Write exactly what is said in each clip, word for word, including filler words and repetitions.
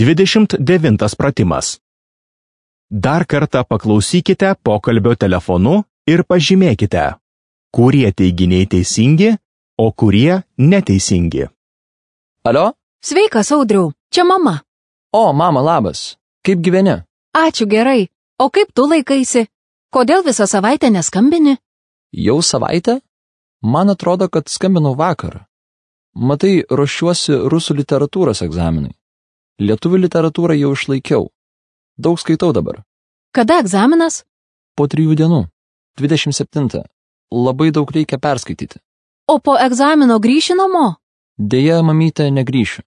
Dvidešimt devintas pratimas. Dar kartą paklausykite pokalbio telefonu ir pažymėkite, kurie teiginiai teisingi, o kurie neteisingi. Alio? Sveikas, Audriau, čia mama. O, mama, labas. Kaip gyveni? Ačiū gerai. O kaip tu laikaisi? Kodėl visą savaitę neskambini? Jau savaitę? Man atrodo, kad skambinau vakar. Matai, ruošiuosi rusų literatūros egzaminui. Lietuvių literatūrą jau išlaikiau. Daug skaitau dabar. Kada egzaminas? Po trijų dienų. dvidešimt septintą. Labai daug reikia perskaityti. O po egzamino grįši namo? Deja, mamytė, negrįšiu.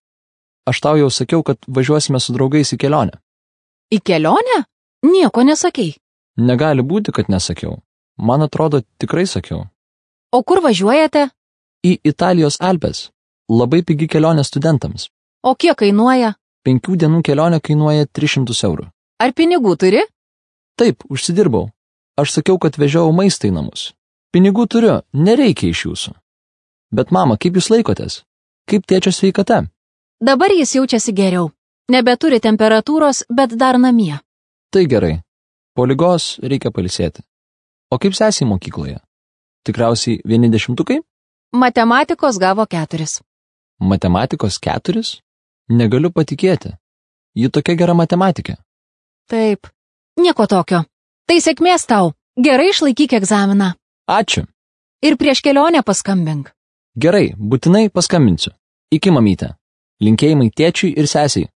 Aš tau jau sakiau, kad važiuosime su draugais į kelionę. Į kelionę? Nieko nesakei. Negali būti, kad nesakiau. Man atrodo, tikrai sakiau. O kur važiuojate? Į Italijos Alpes. Labai pigi kelionė studentams. O kiek kainuoja? Penkių dienų kelionė kainuoja tris šimtus eurų. Ar pinigų turi? Taip, užsidirbau. Aš sakiau, kad vežiau maistą į namus. Pinigų turiu, nereikia iš jūsų. Bet mama, kaip jūs laikotės? Kaip tėčio sveikata? Dabar jis jaučiasi geriau. Nebeturi temperatūros, bet dar namie. Tai gerai. Po ligos reikia pailsėti. O kaip sesė mokykloje? Tikriausiai vieni dešimtukai? Matematikos gavo keturis. Matematikos keturis? Negaliu patikėti. Ji tokia gera matematikė. Taip. Nieko tokio. Tai sėkmės tau. Gerai išlaikyk egzaminą. Ačiū. Ir prieš kelionę paskambink. Gerai, būtinai paskambinsiu. Iki mamytė. Linkėjimai tėčiui ir sesiai.